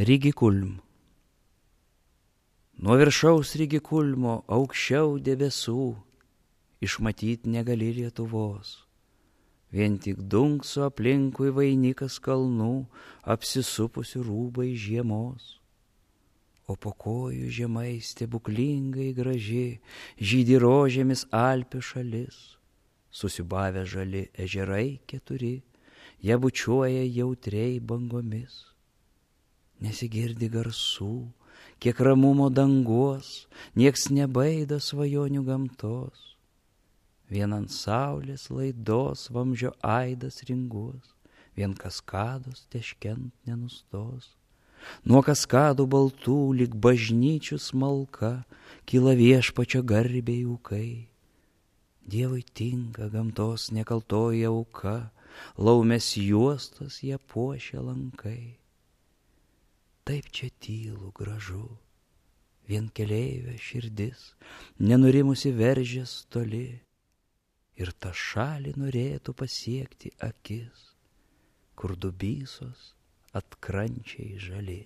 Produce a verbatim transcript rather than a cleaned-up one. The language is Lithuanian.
Rygikulm. Nuo viršaus Rygikulmo aukščiau debesų išmatyt negali Lietuvos. Vien tik dunkso aplinkui vainikas kalnų, apsisupusių rūbai žiemos. O po kojų žemai stebuklingai graži žydi rožėmis Alpių šalis. Susiubavę žali ežerai keturi, ją bučiuoja jautriai bangomis. Nesigirdi garsų, kiek ramumo dangos, nieks nebaida svajonių gamtos. Vien ant saulės laidos vamzdžio aidas ringuos, vien kaskados teškent nenustos. Nuo kaskadų baltų lyg bažnyčių smalka kyla viešpačio garbei ūkai. Dievui tinka gamtos nekaltoji auka, laumės juostos ją puošia lankai. Taip čia tylu gražu, vien keleivio širdis, nenurimusi veržės toli, ir tą šalį norėtų pasiekti akis, kur dubysos atkrančiai žali.